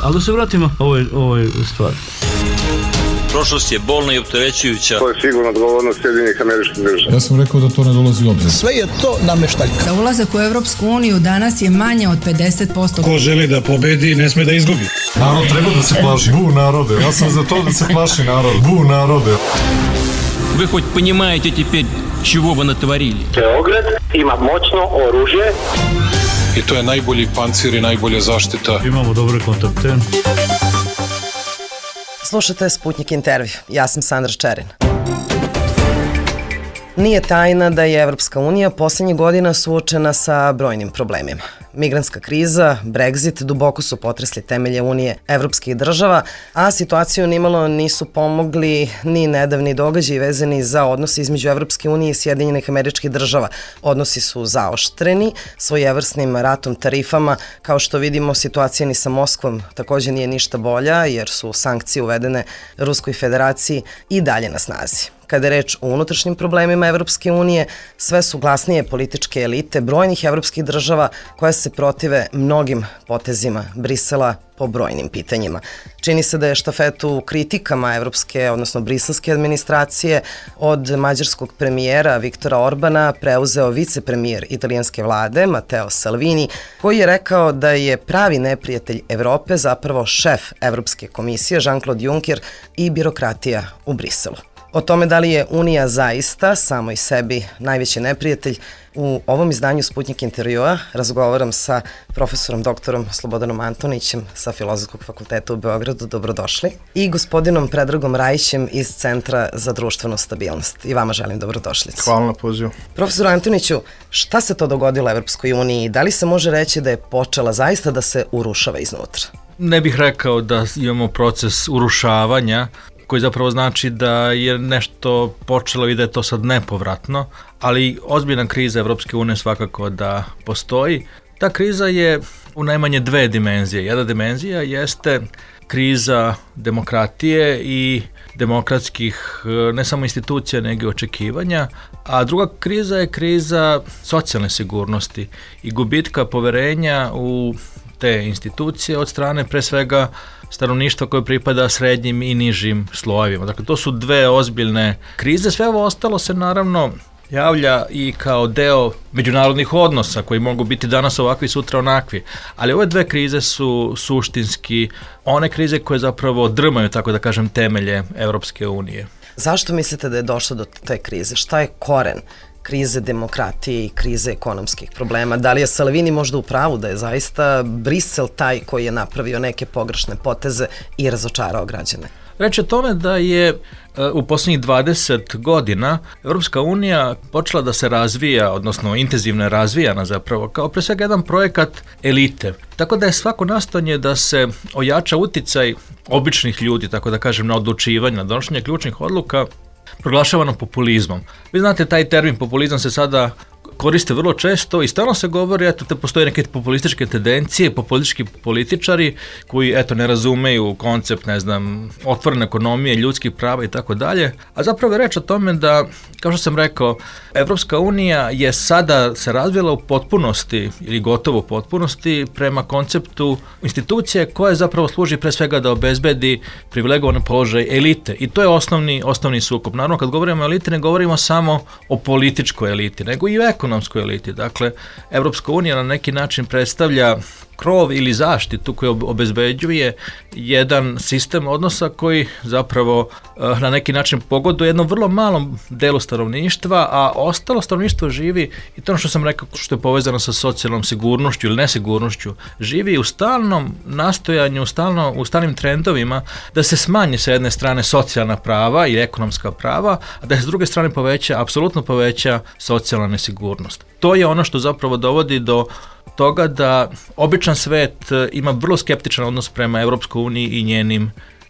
Ali da se vratimo ovoj stvari. Prošlost je bolna i opterećujuća. To je sigurno odgovornost Sjedinjenih Američkih Država. Ja sam rekao da to ne dolazi u obzir. Sve je to nameštaljka. Za ulazak u Evropsku uniju danas je manje od 50%. Ko želi da pobedi, ne sme da izgubi. Narod treba da se plaši. Bu narode. Ja sam za to da se plaši narod. Bu narode. Вы хоть понимаете теперь, чего вы натворили? Beograd ima moćno oružje. I to je najbolji pancir i najbolja zaštita. Imamo dobre kontakte. Slušate Sputnik intervju. Ja sam Sandra Čerin. Nije tajna da je Evropska unija poslednjih godina suočena sa brojnim problemima. Migrantska kriza, Brexit duboko su potresli temelje Unije evropskih država, a situaciju nimalo nisu pomogli ni nedavni događaji vezani za odnose između Evropske unije i Sjedinjenih Američkih Država. Odnosi su zaoštreni svojevrsnim ratom tarifama. Kao što vidimo, situacija ni sa Moskvom takođe nije ništa bolja, jer su sankcije uvedene Ruskoj federaciji i dalje na snazi. Kada je reč o unutrašnjim problemima Evropske unije, sve su glasnije političke elite brojnih evropskih država koje se protive mnogim potezima Brisela po brojnim pitanjima. Čini se da je štafetu kritikama evropske, odnosno briselske administracije od mađarskog premijera Viktora Orbana preuzeo vicepremijer italijanske vlade Matteo Salvini, koji je rekao da je pravi neprijatelj Evrope zapravo šef Evropske komisije Jean-Claude Juncker i birokratija u Briselu. O tome da li je Unija zaista samoj sebi najveći neprijatelj, u ovom izdanju Sputnik intervjua razgovaram sa profesorom doktorom Slobodanom Antonićem sa Filozofskog fakulteta u Beogradu, dobrodošli, i gospodinom Predragom Rajićem iz Centra za društvenu stabilnost. I vama želim dobrodošlicu. Hvala na pozivu. Profesor Antoniću, šta se to dogodilo Evropskoj uniji? Da li se može reći da je počela zaista da se urušava iznutra? Ne bih rekao da imamo proces urušavanja, koji zapravo znači da je nešto počelo i da je to sad nepovratno, ali ozbiljna kriza Evropske unije svakako da postoji. Ta kriza je u najmanje dve dimenzije. Jedna dimenzija jeste kriza demokratije i demokratskih ne samo institucija nego i očekivanja, a druga kriza je kriza socijalne sigurnosti i gubitka poverenja u te institucije od strane pre svega stanovništva koje pripada srednjim i nižim slojevima. Dakle, to su dve ozbiljne krize. Sve ovo ostalo se naravno javlja i kao deo međunarodnih odnosa koji mogu biti danas ovakvi, sutra onakvi. Ali ove dve krize su suštinski one krize koje zapravo drmaju, tako da kažem, temelje Evropske unije. Zašto mislite da je došlo do te krize? Šta je koren krize demokratije i krize ekonomskih problema? Da li je Salvini možda u pravu da je zaista Brisel taj koji je napravio neke pogrešne poteze i razočarao građane? Reč je tome da je u poslednjih 20 godina Evropska unija počela da se razvija, odnosno intenzivno je razvijana zapravo, kao pre svega jedan projekat elite. Tako da je svako nastojanje da se ojača uticaj običnih ljudi, tako da kažem, na odlučivanje, na donošenje ključnih odluka, proglašavano populizmom. Vi znate, taj termin populizam se sada koriste vrlo često i stalno se govori, eto, da postoje neke populističke tendencije, populistički političari koji, eto, ne razumeju koncept, ne znam, otvorene ekonomije, ljudskih prava i tako dalje. A zapravo je reč o tome da, kao što sam rekao, Evropska unija je sada se razvila u potpunosti ili gotovo u potpunosti prema konceptu institucije koje zapravo služi pre svega da obezbedi privilegovane položaje elite. I to je osnovni sukob. Naravno, kad govorimo o eliti, ne govorimo samo o političkoj eliti, nego i o ekonomskoj eliti. Dakle, Evropska unija na neki način predstavlja krov ili zaštitu koji obezbeđuje jedan sistem odnosa koji zapravo na neki način pogoduje jednom vrlo malom delu stanovništva, a ostalo stanovništvo živi, i to ono što sam rekao, što je povezano sa socijalnom sigurnošću ili nesigurnošću, živi u stalnom nastojanju, u stalnim trendovima da se smanji sa jedne strane socijalna prava i ekonomska prava, a da se s druge strane apsolutno poveća socijalna nesigurnost. To je ono što zapravo dovodi do toga da običan svet ima vrlo skeptičan odnos prema Evropskoj uniji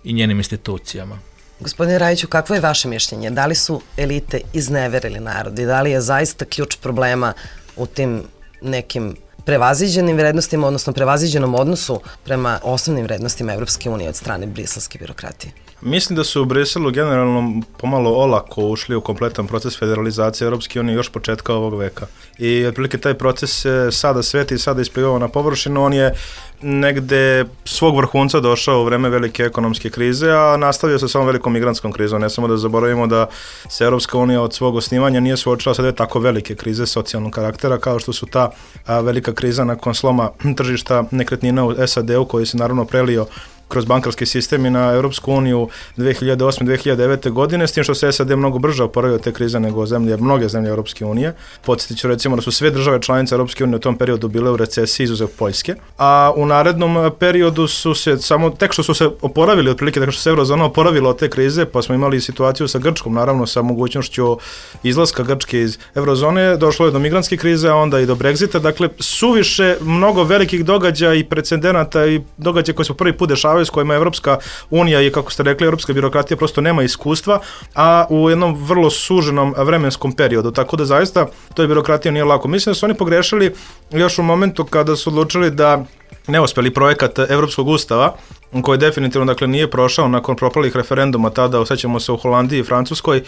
i njenim institucijama. Gospodine Rajiću, kakvo je vaše mišljenje? Da li su elite izneverili narod i da li je zaista ključ problema u tim nekim prevaziđenim vrednostima, odnosno prevaziđenom odnosu prema osnovnim vrednostima Evropske unije od strane briselske birokratije? Mislim da su u Briselu generalno pomalo olako ušli u kompletan proces federalizacije Evropske unije još početka ovog veka. I otprilike taj proces se sada sveti i sada isplivao na površinu. On je negde svog vrhunca došao u vreme velike ekonomske krize, a nastavio se sa ovom velikom migrantskom krizom. Ne samo da zaboravimo da se Europska unija od svog osnivanja nije suočila sa dve tako velike krize socijalnog karaktera kao što su ta velika kriza nakon sloma tržišta nekretnina u SAD-u koji se naravno prelio kroz bankarski sistem i na Europsku uniju 2008-2009. godine, s tim što se SAD mnogo brže oporavio te krize nego mnoge zemlje Europske unije. Podsjetit ću recimo da su sve države članice Europske unije u tom periodu bile u recesiji izuzev Poljske, a u narednom periodu su se tek što su se oporavili, otprilike tek što se eurozona oporavila od te krize, pa smo imali situaciju sa Grčkom, naravno sa mogućnošću izlaska Grčke iz eurozone, došlo je do migrantske krize, a onda i do Brexita, dakle suviše mnogo velikih događaja i precedenata i događaja koji su prvi put dešavaju s kojima Evropska unija i, kako ste rekli, evropska birokratija prosto nema iskustva, a u jednom vrlo suženom vremenskom periodu, tako da zaista toj birokratiji nije lako. Mislim da su oni pogrešili još u momentu kada su odlučili da neuspeli projekat Evropskog ustava, koji definitivno dakle nije prošao nakon propalih referenduma tada, osjećamo se u Holandiji i Francuskoj,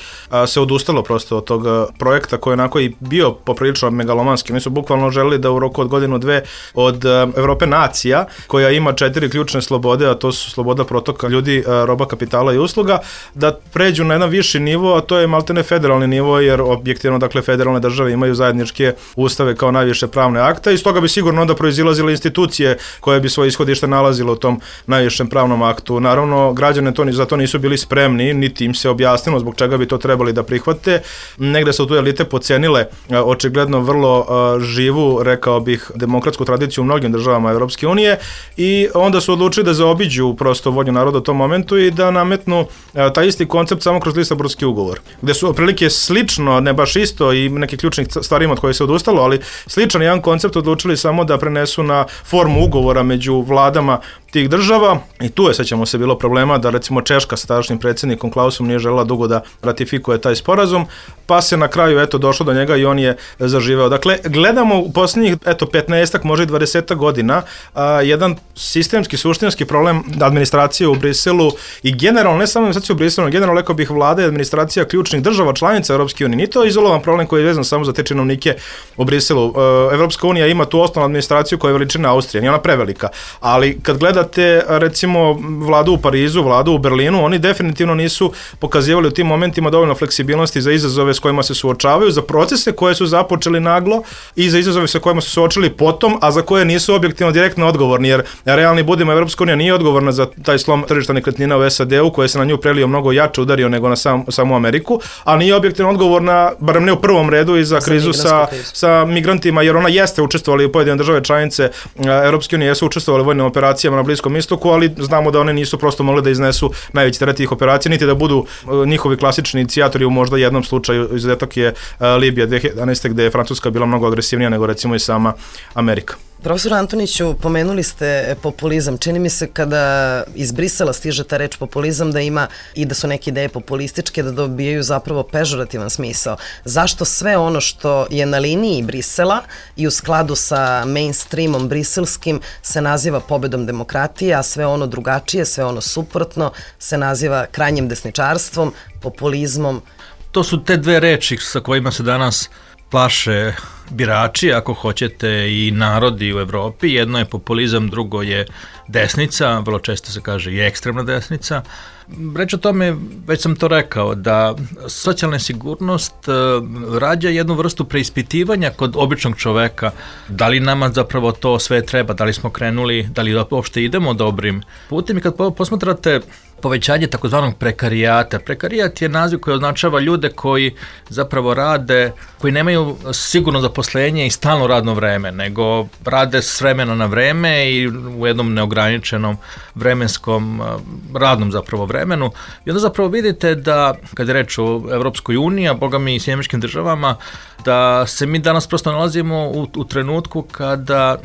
se odustalo prosto od tog projekta koji je onako i bio poprilično megalomanski. Mi su bukvalno želeli da u roku od godinu dve od Evrope nacija, koja ima 4 ključne slobode, a to su sloboda protoka ljudi, roba, kapitala i usluga, da pređu na jedan viši nivo, a to je maltene federalni nivo, jer objektivno dakle federalne države imaju zajedničke ustave kao najviše pravne akta i iz toga bi sigurno onda proizilazile institucije koje bi svoje ishodište nalazile u tom najvišem pravnom aktu. Naravno, građane za to nisu bili spremni, niti im se objasnilo zbog čega bi to trebali da prihvate. Negde su tu elite pocenile očigledno vrlo živu, rekao bih, demokratsku tradiciju u mnogim državama Evropske unije i onda su odlučili da zaobiđu prosto volju naroda u tom momentu i da nametnu taj isti koncept samo kroz Lisabonski ugovor, gde su otprilike slično, ne baš isto i neki ključnih stvarima od koje se odustalo, ali sličan jedan koncept odlučili samo da prenesu na formu ugovora među vladama tih država i tu je, sećamo se, bilo problema da recimo Češka sa tadašnjim predsjednikom Klausom nije želela dugo da ratifikuje taj sporazum, pa se na kraju došlo do njega i on je zaživeo. Dakle, gledamo u posljednjih 15-ak, može i 20 godina jedan sistemski, suštinski problem administracije u Briselu i generalno, ne samo administracije u Briselu, generalno rekao bih vlada i administracija ključnih država članica Europske unije. Nije to izolovan problem koji je vezan samo za te činovnike u Briselu. Evropska unija ima tu osnovnu administraciju koja je veličina Austrije, nije ona prevelika, ali kad gledate recimo vladu u Parizu, vladu u Berlinu, oni definitivno nisu pokazivali u tim momentima dovoljno fleksibilnosti za izazove s kojima se suočavaju, za procese koje su započeli naglo i za izazove sa kojima su suočili potom, a za koje nisu objektivno direktno odgovorni, jer realni budimo, Evropska unija nije odgovorna za taj slom tržišta nekretnina u SAD-u, koje se na nju prelio mnogo jače udario nego na samu Ameriku, a nije objektivno odgovorna, barem ne u prvom redu, i za krizu sa migrantima, jer ona jeste učestvovala u pojedine države članice Evropske unije, jesu učestvovali u vojnim operacijama na Bliskom istoku, ali znamo da one nisu prosto mogli da iznesu najveći teret tih operacija, niti da budu njihovi klasični inicijatori. U možda jednom slučaju, izuzetak je Libija 2011. gde je Francuska bila mnogo agresivnija nego recimo i sama Amerika. Profesor Antoniću, pomenuli ste populizam. Čini mi se kada iz Brisela stiže ta reč populizam da ima i da su neke ideje populističke, da dobijaju zapravo pežorativan smisao. Zašto sve ono što je na liniji Brisela i u skladu sa mainstreamom briselskim se naziva pobedom demokratije, a sve ono drugačije, sve ono suprotno se naziva krajnjim desničarstvom, populizmom? To su te dve reči sa kojima se danas plaše birači, ako hoćete, i narodi u Evropi. Jedno je populizam, drugo je desnica, vrlo često se kaže i ekstremna desnica. Reč o tome, već sam to rekao, da socijalna sigurnost rađa jednu vrstu preispitivanja kod običnog čoveka. Da li nama zapravo to sve treba, da li smo krenuli, da li uopšte idemo dobrim putem. I kad posmatrate povećanje takozvanog prekarijata. Prekarijat je naziv koji označava ljude koji zapravo rade, koji nemaju sigurno zaposlenje i stalno radno vreme, nego rade s vremena na vreme i u jednom neograničenom vremenskom radnom zapravo vremenu. I onda zapravo vidite da, kad je reč o Evropskoj uniji, a boga mi i Sjedinjenim Državama, da se mi danas prosto nalazimo u trenutku kada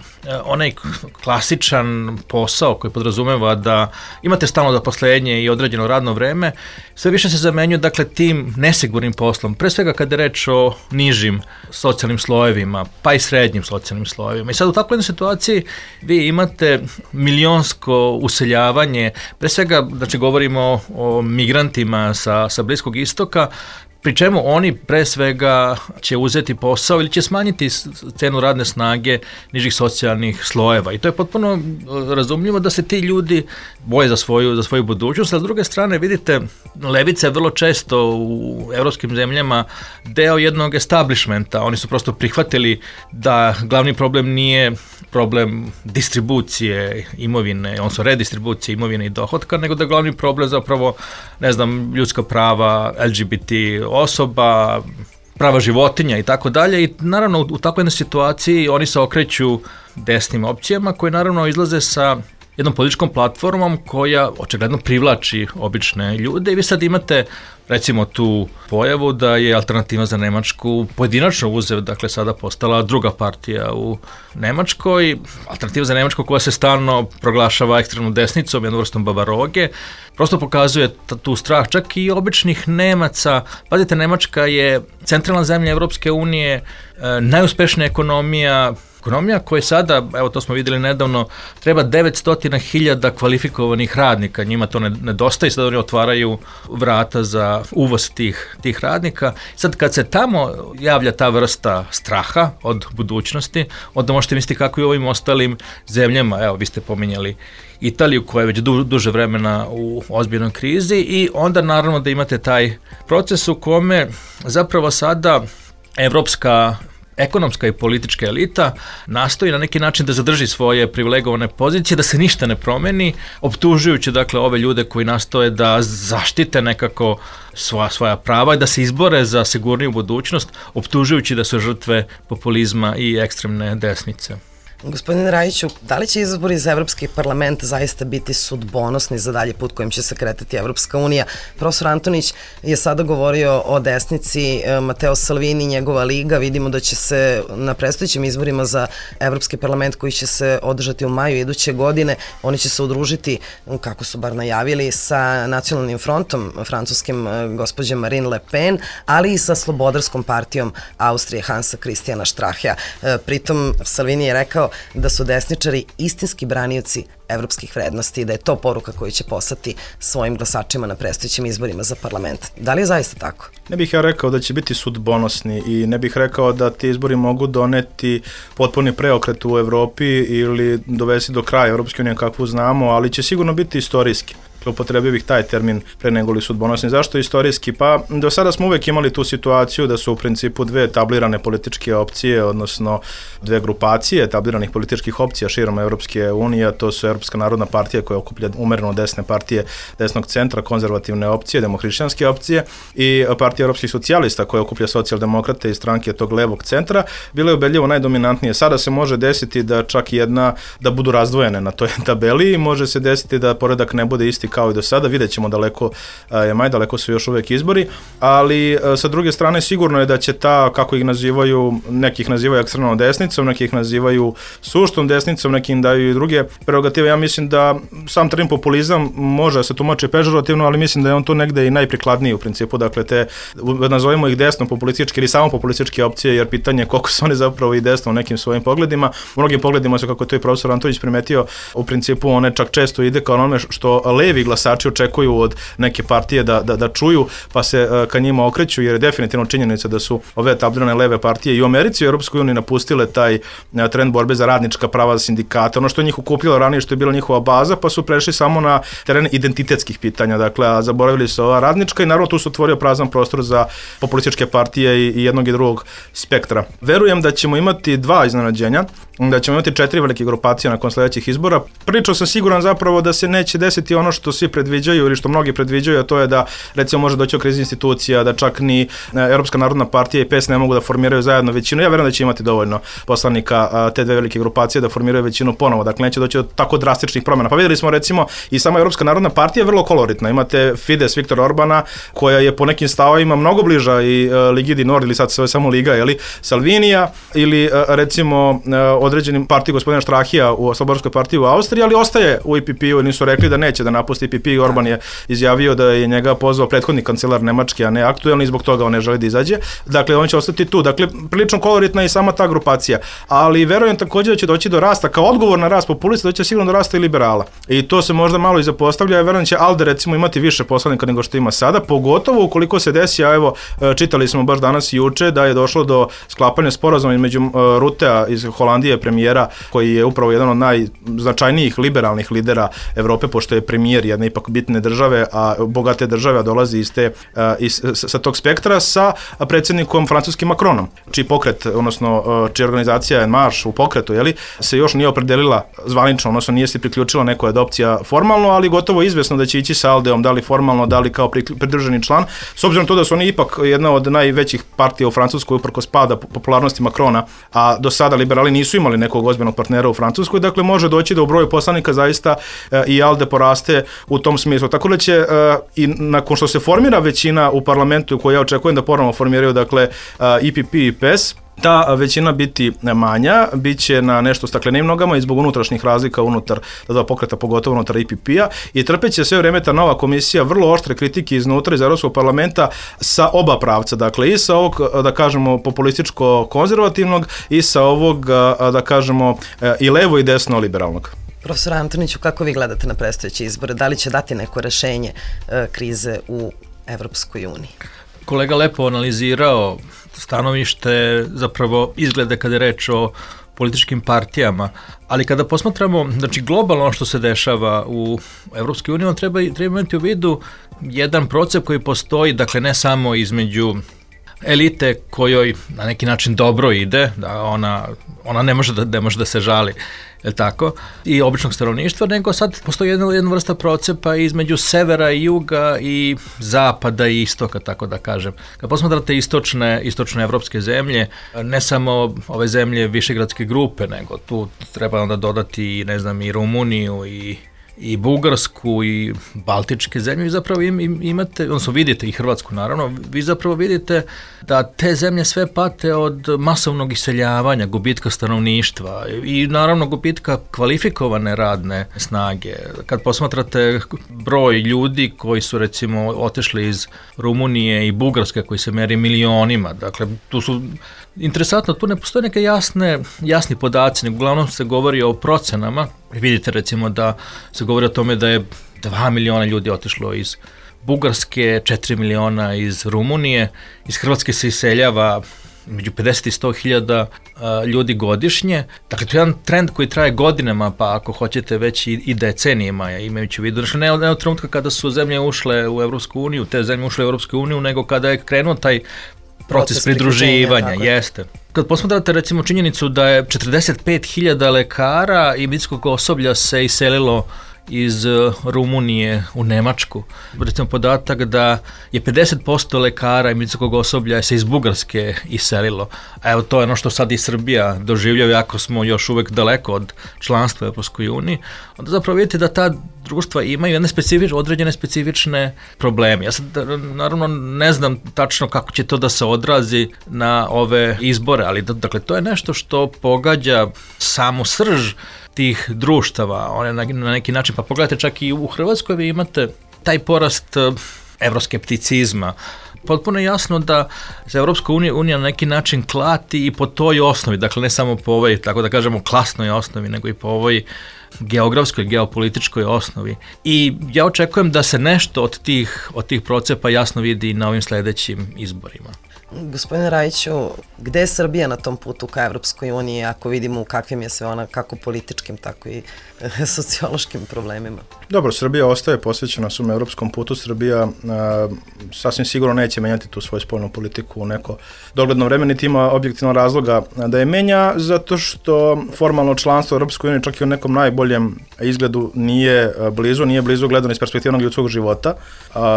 onaj klasičan posao koji podrazumeva da imate stalno zaposlenje i određeno radno vreme, sve više se zamenjuje dakle tim nesigurnim poslom, pre svega kada je reč o nižim socijalnim slojevima, pa i srednjim socijalnim slojevima. I sad u takvoj jednoj situaciji vi imate milionsko useljavanje, pre svega, znači govorimo o migrantima sa Bliskog istoka, pri čemu oni pre svega će uzeti posao ili će smanjiti cenu radne snage nižih socijalnih slojeva. I to je potpuno razumljivo da se ti ljudi boje za svoju budućnost, a s druge strane vidite, levica je vrlo često u evropskim zemljama deo jednog establishmenta. Oni su prosto prihvatili da glavni problem nije problem distribucije imovine, odnosno redistribucije imovine i dohotka, nego da je glavni problem zapravo, ne znam, ljudska prava, LGBT osoba, prava životinja i tako dalje. I naravno u takvoj jednoj situaciji oni se okreću desnim opcijama koje naravno izlaze sa jednom političkom platformom koja očigledno privlači obične ljude i vi sad imate recimo tu pojavu da je Alternativa za Nemačku pojedinačno uzev, dakle sada postala druga partija u Nemačkoj. Alternativa za Nemačku koja se stalno proglašava ekstremnom desnicom, jednom vrstom bavaroge, prosto pokazuje tu strah čak i običnih Nemaca. Pazite, Nemačka je centralna zemlja Evropske unije, najuspešnija ekonomija koja sada, evo to smo vidjeli nedavno, treba 900.000 kvalifikovanih radnika, njima to nedostaje, sad oni otvaraju vrata za uvoz tih radnika. Sad kad se tamo javlja ta vrsta straha od budućnosti, onda možete misliti kako i u ovim ostalim zemljama, evo vi ste pominjali Italiju koja je već duže vremena u ozbiljnoj krizi i onda naravno da imate taj proces u kome zapravo sada evropska ekonomska i politička elita nastoji na neki način da zadrži svoje privilegovane pozicije, da se ništa ne promeni, optužujući dakle ove ljude koji nastoje da zaštite nekako svoja prava i da se izbore za sigurniju budućnost, optužujući da su žrtve populizma i ekstremne desnice. Gospodine Rajiću, da li će izbori za Evropski parlament zaista biti sudbonosni za dalje put kojim će se kretati Evropska unija? Profesor Antonić je sada govorio o desnici, Mateo Salvini, njegova liga. Vidimo da će se na predstojećim izborima za Evropski parlament koji će se održati u maju iduće godine, oni će se udružiti, kako su bar najavili, sa nacionalnim frontom francuskim gospođe Marine Le Pen, ali i sa slobodarskom partijom Austrije Hansa Christiana Strahea. Pritom Salvini je rekao da su desničari istinski branioci evropskih vrednosti i da je to poruka koju će poslati svojim glasačima na predstojećim izborima za parlament. Da li je zaista tako? Ne bih ja rekao da će biti sudbonosni i ne bih rekao da ti izbori mogu doneti potpuni preokret u Evropi ili dovesti do kraja Evropske unije kakvu znamo, ali će sigurno biti istorijski. Upotrebio bih taj termin pre nego li sudbonosni. Zašto istorijski? Pa do sada smo uvek imali tu situaciju da su u principu dve etablirane političke opcije, odnosno dve grupacije etabliranih političkih opcija širom Evropske unije, to su Evropska narodna partija koja okuplja umereno desne partije desnog centra, konzervativne opcije, demohrišćanske opcije i partija evropskih socijalista koja okuplja socijaldemokrate i stranke tog levog centra, bile ubedljivo najdominantnije. Sada se može desiti da čak jedna, da budu razdvojene na toj tabeli i može se desiti da poredak ne bude isti kao i do sada, vidjet ćemo daleko daleko su još uvek izbori, ali sa druge strane sigurno je da će ta, kako ih nazivaju, nekih nazivaju ekstremnom desnicom, nekih nazivaju suštom desnicom, neki im daju i druge prerogative. Ja mislim da sam termin populizam može se tumači pežorativno, ali mislim da je on tu negde i najprikladniji u principu, dakle te, nazovimo ih desno populističke ili samo populističke opcije, jer pitanje je koliko su oni zapravo i desno u nekim svojim pogledima. U mnogim pogledima su, kako to i profesor Antonić primetio, u principu one čak često ide kao onome što levi glasači očekuju od neke partije da čuju, pa se ka njima okreću, jer je definitivno činjenica da su ove etablirane leve partije i u Americi i u Europskoj uniji napustile taj trend borbe za radnička prava, za sindikate, ono što je njih okupljalo ranije, što je bila njihova baza, pa su prešli samo na teren identitetskih pitanja, dakle, a zaboravili su ova radnička i naravno tu se otvorio prazan prostor za populističke partije i jednog i drugog spektra. Verujem da ćemo imati dva iznenađenja, da ćemo imati 4 velike grupacije nakon sledećih izbora. Pričao sam siguran zapravo da se neće desiti ono što svi predviđaju ili što mnogi predviđaju, a to je da recimo može doći do krize institucija, da čak ni Europska narodna partija i PES ne mogu da formiraju zajedno većinu. Ja verujem da će imati dovoljno poslanika te dve velike grupacije da formiraju većinu ponovo. Dakle, neće doći do tako drastičnih promjena. Pa videli smo recimo i sama Europska narodna partija je vrlo koloritna. Imate Fides Viktora Orbana koja je po nekim stavovima mnogo bliža i Ligi di Nord ili sad se samo Liga, Salvinija ili recimo određenim partiji gospodina Strahija u Slobodarskoj partiji u Austriji, ali ostaje u EPP-u i nisu rekli da neće da napusti napust EPP i Orban je izjavio da je njega pozvao prethodni kancelar Nemački, a ne aktuelni i zbog toga on ne želi da izađe. Dakle, on će ostati tu. Dakle, prilično koloritna i sama ta grupacija. Ali verujem također da će doći do rasta, kao odgovor na rast populista, da će sigurno do rasta i liberala. I to se možda malo i zapostavlja. Verujem da će ALDE recimo imati više poslanika nego što ima sada, pogotovo ukoliko se desi, a evo, čitali smo baš danas i juče da je došlo do sklapanja sporazuma između Rutea iz Holandije, premijera, koji je upravo jedan od najznačajnijih liberalnih lidera Evrope, pošto je premijer jedne ipak bitne države, a bogate države, a dolazi sa tog spektra, sa predsjednikom francuskim Macronom, čiji pokret, odnosno čija organizacija je Marš u pokretu, se još nije opredelila zvanično, odnosno nije se priključila nekoj od opcija formalno, ali gotovo izvesno da će ići sa ALDE-om, da li formalno, da li kao pridruženi član, s obzirom na to da su oni ipak jedna od najvećih partija u Francuskoj uprkos pada popularnosti Macrona, a do sada liberali nisu imali nekog ozbiljnog partnera u Francuskoj, dakle može doći da u broju poslanika zaista i ALDE poraste u tom smislu. Tako da će i nakon što se formira većina u parlamentu, koju ja očekujem da ponovno formiraju, dakle EPP i PES, ta većina biti manja, bit će na nešto staklenim nogama i zbog unutrašnjih razlika unutar dva pokreta, pogotovo unutar EPP-a, i trpeće sve vreme ta nova komisija vrlo oštre kritike iznutra iz Evropskog parlamenta sa oba pravca, dakle i sa ovog, da kažemo, populističko-konzervativnog i sa ovog, da kažemo, i levo i desno liberalnog. Profesor Antoniću, kako vi gledate na predstojeće izbore? Da li će dati neko rešenje krize u Evropskoj uniji? Kolega lepo analizirao stanovište, zapravo izglede kada je reč o političkim partijama, ali kada posmatramo, znači globalno što se dešava u Evropskoj uniji, treba imati u vidu jedan proces koji postoji, dakle ne samo između elite kojoj na neki način dobro ide, da ona ne može da se žali, je tako, i običnog stanovništva, nego sad postoji jedna vrsta procepa između severa i juga i zapada i istoka, tako da kažem. Kad posmatrate istočne evropske zemlje, ne samo ove zemlje višegradske grupe, nego tu treba onda dodati, ne znam, i Rumuniju i Bugarsku i Baltičke zemlje, vi zapravo imate, odnosno vidite i Hrvatsku naravno, vi zapravo vidite da te zemlje sve pate od masovnog iseljavanja, gubitka stanovništva i naravno gubitka kvalifikovane radne snage. Kad posmatrate broj ljudi koji su recimo otišli iz Rumunije i Bugarske, koji se meri milionima, dakle tu su, interesantno, tu ne postoje neke jasni podaci, nego uglavnom se govori o procenama. Vidite recimo da se govori o tome da je 2 miliona ljudi otišlo iz Bugarske, 4 miliona iz Rumunije, iz Hrvatske se iseljava među 50 i 100 hiljada ljudi godišnje. Dakle, to je jedan trend koji traje godinama, pa ako hoćete već i decenijima, imajući u vidu. Dakle, ne od trenutka kada su zemlje ušle u Evropsku uniju, te zemlje ušle u Evropsku uniju, nego kada je krenuo taj proces pridruživanja, jeste. Kad posmatrate recimo činjenicu da je 45.000 lekara i medicinskog osoblja se iselilo iz Rumunije u Nemačku. Recimo podatak da je 50% lekara i medicinskog osoblja se iz Bugarske iselilo. A evo to je ono što sad i Srbija doživljava, jako smo još uvek daleko od članstva u Evropskoj uniji. Onda zapravo vidite da ta društva imaju određene specifične probleme. Ja sad naravno ne znam tačno kako će to da se odrazi na ove izbore, ali dakle to je nešto što pogađa samu srž tih društava, one na neki način, pa pogledajte čak i u Hrvatskoj vi imate taj porast evroskepticizma. Potpuno je jasno da se Evropska unija na neki način klati i po toj osnovi, dakle ne samo po ovoj, tako da kažemo, klasnoj osnovi, nego i po ovoj geografskoj, geopolitičkoj osnovi. I ja očekujem da se nešto od tih procepa jasno vidi na ovim sledećim izborima. Gospodine Rajiću, gde je Srbija na tom putu ka Evropskoj uniji, ako vidimo u kakvim je sve ona, kako političkim, tako i sociološkim problemima? Dobro, Srbija ostaje posvećena svom evropskom putu. Srbija sasvim sigurno neće menjati tu svoju spoljnu politiku u neko dogledno vreme, niti ima objektivno razloga da je menja, zato što formalno članstvo u Evropskoj uniji čak i u nekom najboljem izgledu nije blizu gledano iz perspektivnog ljudskog života.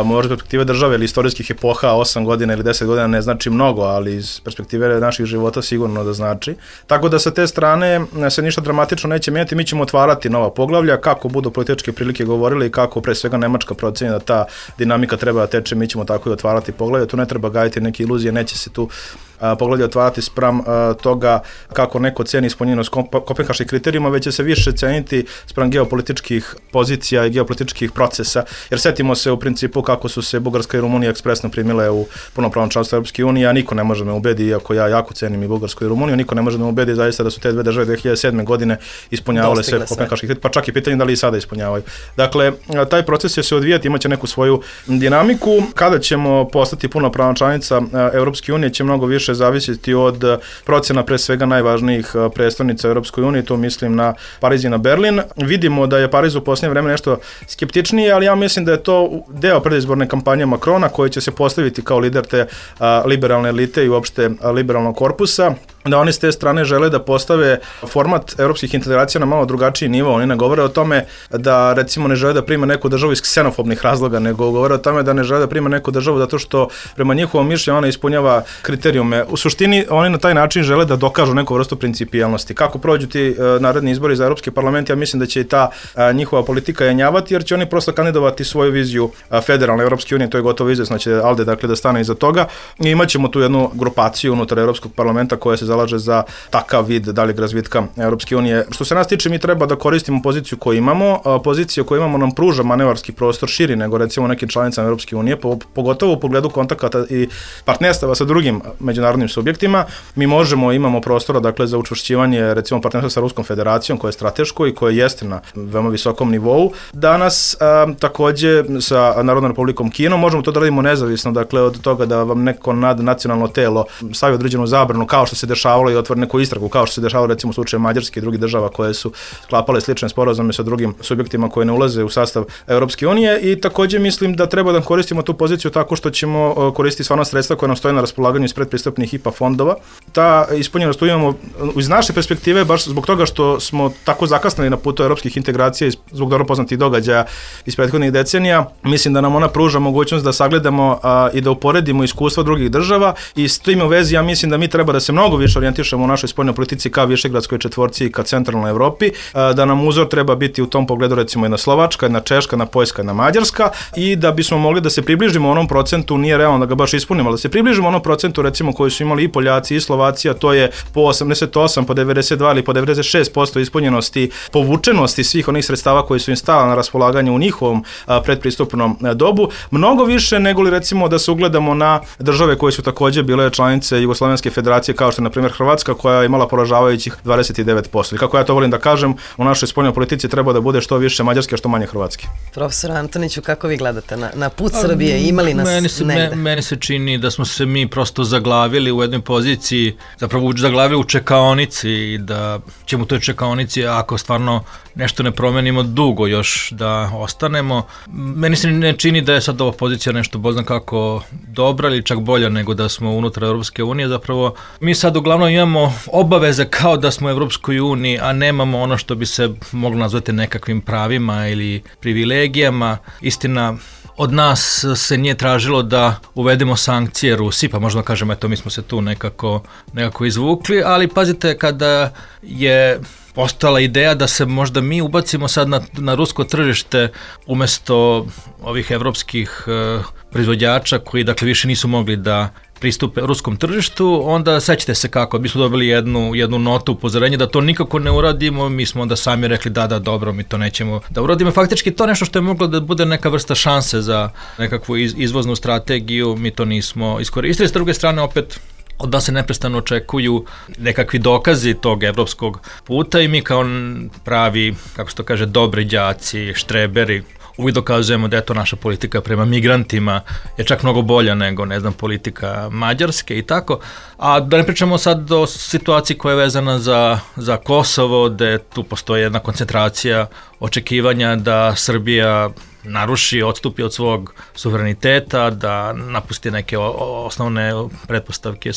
Možda perspektive države ili istorijskih epoha 8 godina ili 10 godina ne znači mnogo, ali iz perspektive naših života sigurno da znači. Tako da sa te strane se ništa dramatično neće menjati, mi ćemo otvarati nova poglavlja, kako budu političke prilike govorili i kako pre svega Nemačka proceni da ta dinamika treba da teče, mi ćemo tako i otvarati poglavlja, tu ne treba gajiti neke iluzije, neće se tu poglavlje otvarati spram toga kako neko ceni ispunjenost kopenhaških kriterijuma, već će se više ceniti spram geopolitičkih pozicija i geopolitičkih procesa, jer setimo se u principu kako su se Bugarska i Rumunija ekspresno primile u punopravno članstvo Europske unije, a niko ne može me ubedi, iako ja jako cenim i Bugarsku i Rumuniju, niko ne može me ubedi zaista da su te dve države 2007. godine ispunjavale sve kopenhaške kriterije, pa čak i pitanje da li i sada ispunjavaju. Dakle, taj proces će se odvijati, imaće neku svoju dinamiku. Kada ćemo postati punopravna članica Europske unije će mnogo više zavisiti od procena pre svega najvažnijih prestolnica Europskoj uniji, to mislim na Pariz i na Berlin. Vidimo da je Pariz u posljednje vreme nešto skeptičniji, ali ja mislim da je to deo predizborne kampanje Macrona koji će se postaviti kao lider te liberalne elite i uopšte liberalnog korpusa, da oni s te strane žele da postave format europskih integracija na malo drugačiji nivo. Oni ne govore o tome da recimo ne žele da prime neku državu iz ksenofobnih razloga, nego govore o tome da ne žele da prime neku državu zato što prema njihovom mišljenju ona ispunjava kriterijume. U suštini oni na taj način žele da dokažu neku vrstu principijelnosti. Kako prođu ti naredni izbori za Europski parlament, ja mislim da će i ta njihova politika jenjavati, jer će oni prosto kandidovati svoju viziju federalne Europske unije, to je gotovo izvesno će Alde dakle da stane iza toga. I imaćemo tu jednu grupaciju unutar Europskog parlamenta koja se zalaže za takav vid daljeg razvitka Europske unije. Što se nas tiče, mi treba da koristimo poziciju koju imamo. Pozicija koju imamo nam pruža manevarski prostor širi nego recimo nekim članicama Europske unije, pogotovo u pogledu kontakata i partnerstava sa drugim međunarodnim subjektima. Mi imamo prostora dakle za učvršćivanje recimo partnerstva sa Ruskom federacijom koja je strateško i koja jeste na veoma visokom nivou. Danas takođe sa Narodnom republikom Kinom možemo to da radimo nezavisno, dakle od toga da vam neko nadnacionalno telo stavi određenu zabranu kao što se dešavalo i otvori neku istragu, kao što se dešavalo recimo u slučaju Mađarske i drugih država koje su sklapale slične sporazume sa drugim subjektima koji ne ulaze u sastav Europske unije. I takođe mislim da treba da koristimo tu poziciju tako što ćemo koristiti sva ona sredstva koja nam stoje na raspolaganju iz predpristupnih IPA fondova. Ta ispunjenost tu imamo iz naše perspektive baš zbog toga što smo tako zakasnili na putu europskih integracija i zbog dobro poznatih događaja iz prethodnih decenija. Mislim da nam ona pruža mogućnost da sagledamo i da uporedimo iskustva drugih država i s tim u vezi ja mislim da mi treba da se mnogo više orijentišemo u našoj spoljnoj politici ka Višegradskoj četvorci i ka centralnoj Evropi, da nam uzor treba biti u tom pogledu recimo jedna Slovačka, jedna Češka, jedna Poljska, jedna Mađarska i da bismo mogli da se približimo onom procentu, nije realno da ga baš ispunimo, ali da se približimo onom procentu recimo koji su imali i Poljaci i Slovaci, a to je po 88, po 92 ili po 96% ispunjenosti, povučenosti svih onih sredstava koji su im stala na raspolaganju u njihovom predpristupnom dobu, mnogo više nego li recimo da se ugledamo na države koje su takođe bile članice Jugoslovenske federacije kao što je na primjer Hrvatska koja je imala poražavajućih 29%. I kako ja to volim da kažem, u našoj spoljnoj politici treba da bude što više Mađarske, što manje Hrvatske. Profesor Antoniću, kako vi gledate na put Srbije? Imali nas negde? Meni se čini da smo se mi prosto zaglavili u jednoj poziciji, zapravo zaglavili u čekaonici i da ćemo u toj čekaonici, ako stvarno nešto ne promenimo, dugo još da ostanemo. Meni se ne čini da je sad ova pozicija nešto bozna kako dobra ili čak bolja nego da smo unutar Europske unije. Zapravo mi sad uglavnom imamo obaveze kao da smo u Europskoj uniji, a nemamo ono što bi se moglo nazvati nekakvim pravima ili privilegijama. Istina, od nas se nije tražilo da uvedemo sankcije Rusiji, pa možda kažemo, eto, mi smo se tu nekako izvukli, ali pazite, kada je postala ideja da se možda mi ubacimo sad na rusko tržište umesto ovih evropskih proizvođača koji dakle više nisu mogli da pristupe ruskom tržištu, onda sećate se kako, mi smo dobili jednu notu upozorenja da to nikako ne uradimo, mi smo onda sami rekli da dobro, mi to nećemo da uradimo. Faktički to nešto što je moglo da bude neka vrsta šanse za nekakvu izvoznu strategiju, mi to nismo iskoristili. S druge strane opet od nas se neprestano očekuju nekakvi dokazi tog evropskog puta i mi kao pravi, kako se to kaže, dobri đaci, štreberi, uvijek dokazujemo da je to naša politika prema migrantima je čak mnogo bolja nego, ne znam, politika Mađarske i tako. A da ne pričamo sad o situaciji koja je vezana za Kosovo, gde tu postoji jedna koncentracija očekivanja da Srbija naruši, odstupi od svog suvereniteta, da napusti neke osnovne pretpostavke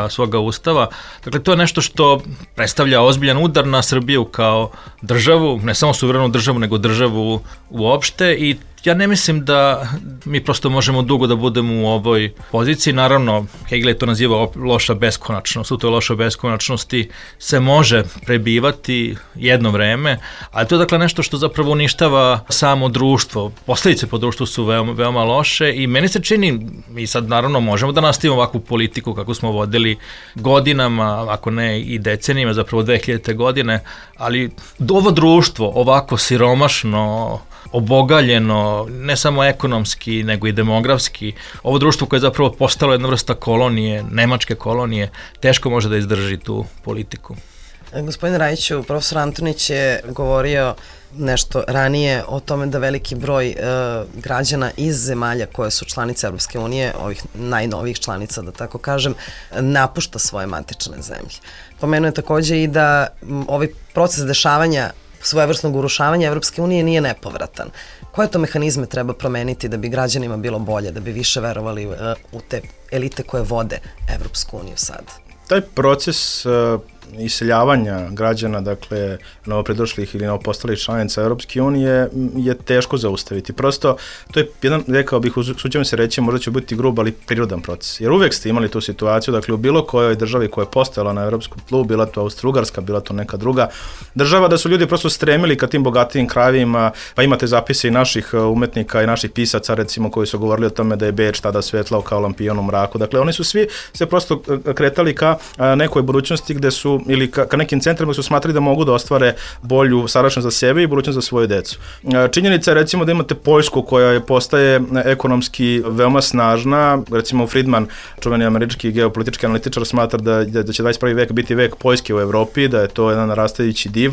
svoga ustava. Dakle, to je nešto što predstavlja ozbiljan udar na Srbiju kao državu, ne samo suverenu državu, nego državu uopšte i Ja ne mislim da mi prosto možemo dugo da budemo u ovoj poziciji. Naravno, Hegel je to nazivao loša beskonačnost. U toj lošoj beskonačnosti se može prebivati jedno vreme, ali to je dakle nešto što zapravo uništava samo društvo. Posledice po društvu su veoma loše i meni se čini, mi sad naravno možemo da nastavimo ovakvu politiku kako smo vodili godinama, ako ne i decenijama, zapravo 2000. godine, ali ovo društvo ovako siromašno, obogaljeno, ne samo ekonomski, nego i demografski, ovo društvo koje je zapravo postalo jedna vrsta kolonije, nemačke kolonije, teško može da izdrži tu politiku. Gospodin Rajiću, profesor Antonić je govorio nešto ranije o tome da veliki broj građana iz zemalja koje su članice Evropske unije, ovih najnovijih članica, da tako kažem, napušta svoje matične zemlje. Pomenuo je takođe i da ovaj proces dešavanja svojevrsnog urušavanja Evropske unije nije nepovratan. Koje to mehanizme treba promeniti da bi građanima bilo bolje, da bi više verovali u te elite koje vode Evropsku uniju sad? Taj proces iseljavanja građana, dakle, novopridošlih ili novopostalih članica Europske unije je teško zaustaviti. Prosto, to je jedan, rekao bih, suđujem se reći, možda će biti grub, ali prirodan proces. Jer uvek ste imali tu situaciju, dakle, u bilo kojoj državi koja je postojala na evropskom tlu, bila to Austro-Ugarska, bila to neka druga država, da su ljudi prosto stremili ka tim bogatijim krajevima, pa imate zapise i naših umetnika i naših pisaca, recimo, koji su govorili o tome da je Beč tada svetlao kao lampion u mraku. Dakle, oni su svi se prosto kretali ka nekoj budućnosti gde su ili ka nekim centrima su smatrali da mogu da ostvare bolju sadašnjost za sebe i budućnost za svoju decu. Činjenica je recimo da imate Poljsku koja postaje ekonomski veoma snažna, recimo Friedman, čuveni američki geopolitički analitičar, smatra da će 21. vek biti vek Poljske u Evropi, da je to jedan narastajući div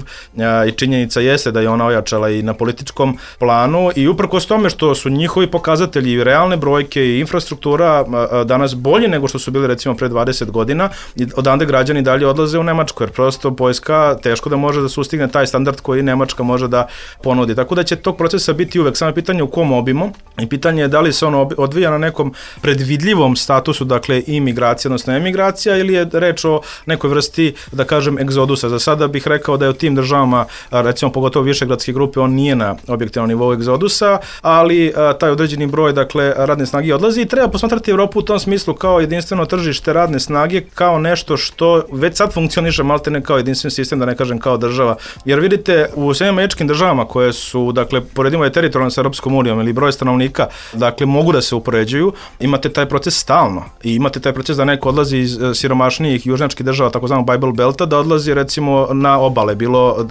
i činjenica jeste da je ona ojačala i na političkom planu i uprkos tome što su njihovi pokazatelji i realne brojke i infrastruktura danas bolji nego što su bili recimo pre 20 godina i odande građani dalje odlaze u Nemačku, jer prosto Poljska teško da može da sustigne taj standard koji Nemačka može da ponudi. Tako da će tog procesa biti uvek samo pitanje u kom obimu i pitanje je da li se on odvija na nekom predvidljivom statusu, dakle imigracija, odnosno emigracija, ili je reč o nekoj vrsti, da kažem, egzodusa. Za sada bih rekao da je u tim državama, recimo pogotovo višegradske grupe, on nije na objektivnom nivou egzodusa, ali taj određeni broj, dakle, radne snage odlazi i treba posmatrati Evropu u tom smislu kao jedinstveno tržište radne snage, kao nešto što već sad funkcioniše maltene kao jedinstven sistem, da ne kažem kao država. Jer vidite, u Sjedinjenim Američkim državama koje su, dakle, poredimo je teritorijalno sa Europskom unijom ili broj stanovnika, dakle, mogu da se upoređuju, imate taj proces stalno i imate taj proces da neko odlazi iz siromašnijih južnjačkih država, takozvanog Bible Belta, da odlazi recimo na obale, bilo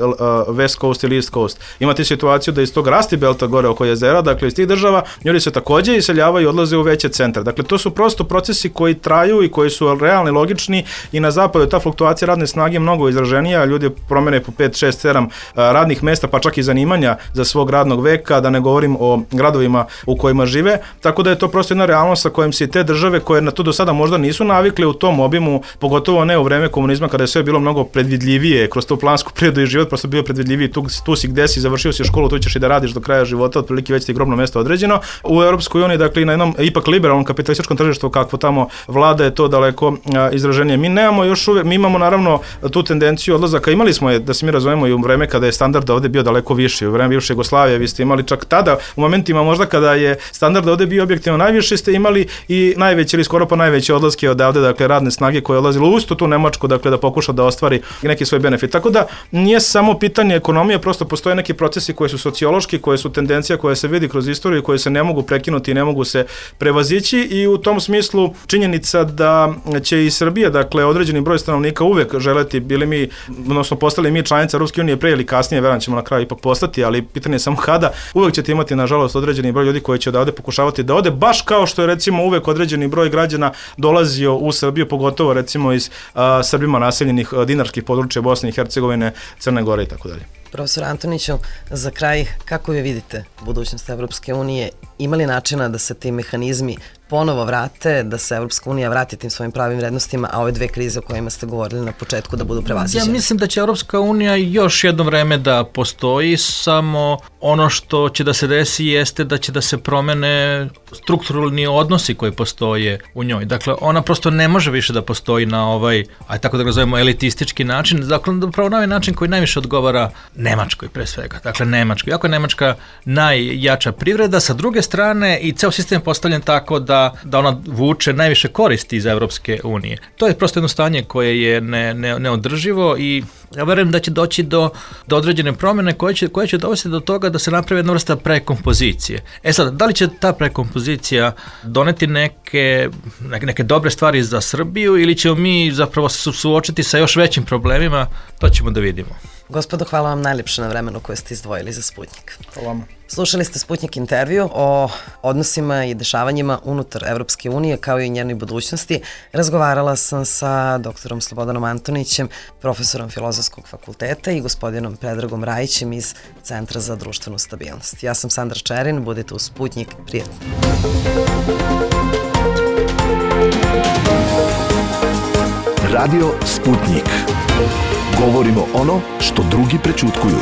West Coast ili East Coast. Imate situaciju da iz tog Rasti Belta gore oko jezera, dakle, iz tih država, ljudi se takođe iseljavaju i odlaze u veće centre. Dakle, to su prosto procesi koji traju i koji su realni, logični i na zapadu ta fluktuacija radne snage je mnogo izraženija, ljudi promene po 5, 6, 7 radnih mesta, pa čak i zanimanja za svog radnog veka, da ne govorim o gradovima u kojima žive, tako da je to prosto jedna realnost sa kojim se te države koje na to do sada možda nisu navikle u tom obimu, pogotovo ne u vreme komunizma kada je sve bilo mnogo predvidljivije, kroz tu plansku prirodu i život prosto bio predvidljiviji, tu si gde si, završio si školu, tu ćeš i da radiš do kraja života, otprilike već ti grobno mesto određeno. U Europskoj uniji, dakle, na jednom ipak liberalnom kapitalističkom tržištu kakvo tamo vlada je to daleko izraženije. Mi nemamo još uvek, mi imamo naravno tu tendenciju odlazaka, imali smo je, da se mi razumemo, i u vreme kada je standard ovde bio daleko viši, u vreme bivše Jugoslavije, vi ste imali čak tada, u momentima možda kada je standard ovde bio objektivno najviši, ste imali i najveće ili skoro pa najveće odlaske odavde, dakle, radne snage koje je odlazilo u istu tu Nemačku, dakle, da pokuša da ostvari neki svoj benefit. Tako da nije samo pitanje ekonomije, prosto postoje neki procesi koji su sociološki, koje su tendencija koja se vidi kroz istoriju, koje se ne mogu prekinuti i ne mogu se prevazići i u tom smislu činjenica da će i Srbija, dakle, određeni broj stanovnika uvek želeti, bili mi, odnosno postali mi članica Ruske unije pre ili kasnije, verujem ćemo na kraju ipak postati, ali pitanje je samo kada, uvek ćete imati, nažalost, određeni broj ljudi koji će odavde pokušavati da ode, baš kao što je, recimo, uvek određeni broj građana dolazio u Srbiju, pogotovo, recimo, iz Srbima naseljenih dinarskih područja Bosne i Hercegovine, Crne Gore i tako dalje. Profesor Antoniću, za kraj, kako vi vidite budućnost Evropske unije? Ima li načina da se ti mehanizmi ponovo vrate, da se Evropska unija vrati tim svojim pravim vrednostima, a ove dve krize o kojima ste govorili na početku da budu prevaziđene? Ja mislim da će Evropska unija još jedno vreme da postoji, samo ono što će da se desi jeste da će da se promene strukturalni odnosi koji postoje u njoj. Dakle, ona prosto ne može više da postoji na ovaj, aj tako da ga zovemo, elitistički način, dakle, upravo na ovaj način koji najviše odgovara Nemačkoj pre svega. Dakle, Nemačkoj. Iako je Nemačka najjača privreda, sa druge strane i ceo sistem je postavljen tako da ona vuče najviše koristi iz Evropske unije. To je prosto jedno stanje koje je neodrživo i ja verujem da će doći do određene promjene koje će dovesti do toga da se napravi jedna vrsta prekompozicije. Sad, da li će ta prekompozicija doneti neke dobre stvari za Srbiju ili ćemo mi zapravo se suočiti sa još većim problemima, to ćemo da vidimo. Gospodo, hvala vam najljepše na vremenu koje ste izdvojili za Sputnjik. Hvala vam. Slušali ste Sputnjik intervju o odnosima i dešavanjima unutar Evropske unije kao i njenoj budućnosti. Razgovarala sam sa doktorom Slobodanom Antonićem, profesorom Filozofskog fakulteta i gospodinom Predragom Rajićem iz Centra za društvenu stabilnost. Ja sam Sandra Čerin, budite u Sputnjik, prijatno. Radio Sputnjik. Govorimo ono što drugi prećutkuju.